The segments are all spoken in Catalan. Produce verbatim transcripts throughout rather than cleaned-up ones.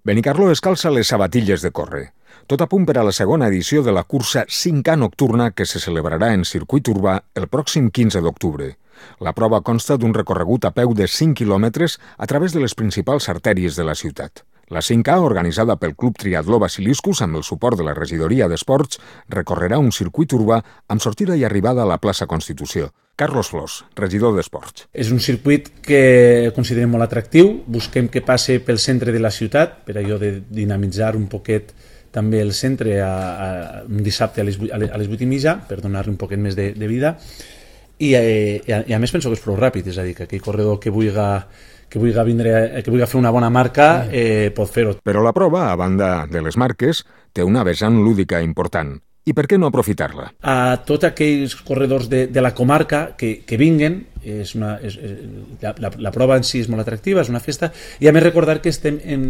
Benicarló es calça les sabatilles de córrer. Tot a punt per a la segona edició de la cursa cinc K nocturna que se celebrarà en circuit urbà el pròxim quinze d'octubre. La prova consta d'un recorregut a peu de cinc quilòmetres a través de les principals artèries de la ciutat. La cinc K, organitzada pel Club Triatló Basiliscus amb el suport de la Regidoria d'Esports, recorrerà un circuit urbà amb sortida i arribada a la plaça Constitució. Carlos Flors, regidor d'Esports. És un circuit que considerem molt atractiu. Busquem que passe pel centre de la ciutat, per allò de dinamitzar un poquet també el centre a, a, un dissabte a les, a les vuit i mitja, per donar-li un poquet més de, de vida. I, eh, i, a, I a més penso que és prou ràpid, és a dir, que aquell corredor que vulgui que vulgui, vindre, que vulgui fer una bona marca eh, pot fer-ho. Però la prova, a banda de les marques, té una vessant lúdica important. I per què no aprofitar-la? A tots aquells corredors de, de la comarca que, que vinguen, és una, és, la, la, la prova en si és molt atractiva, és una festa, i a més recordar que estem en,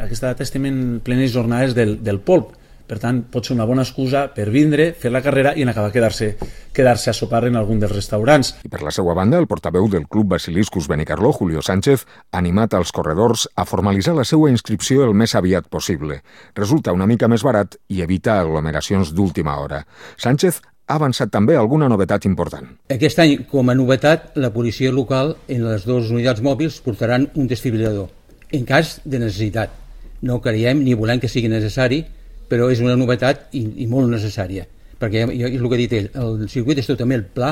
aquesta data estem en plenes jornades del, del polp. Per tant, pot ser una bona excusa per vindre, fer la carrera i en acabar quedar-se quedar-se a sopar en algun dels restaurants. I per la seva banda, el portaveu del Club Basiliscus Benicarló, Julio Sánchez, ha animat als corredors a formalitzar la seva inscripció el més aviat possible. Resulta una mica més barat i evita aglomeracions d'última hora. Sánchez ha avançat també alguna novetat important. Aquest any, com a novetat, la policia local en les dues unitats mòbils portaran un desfibrilador, en cas de necessitat. No creiem ni volem que sigui necessari, però és una novetat i, i molt necessària, perquè és el que ha dit ell, el circuit és totalment el pla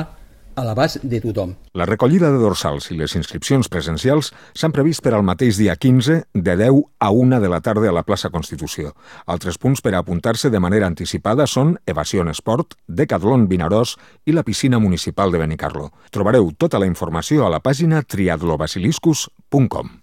a l'abast de tothom. La recollida de dorsals i les inscripcions presencials s'han previst per al mateix dia quinze, de deu a una de la tarda a la plaça Constitució. Altres punts per a apuntar-se de manera anticipada són Evasion Esport, Decathlon Vinaròs i la piscina municipal de Benicarló. Trobareu tota la informació a la pàgina triatlobasiliscus punt com.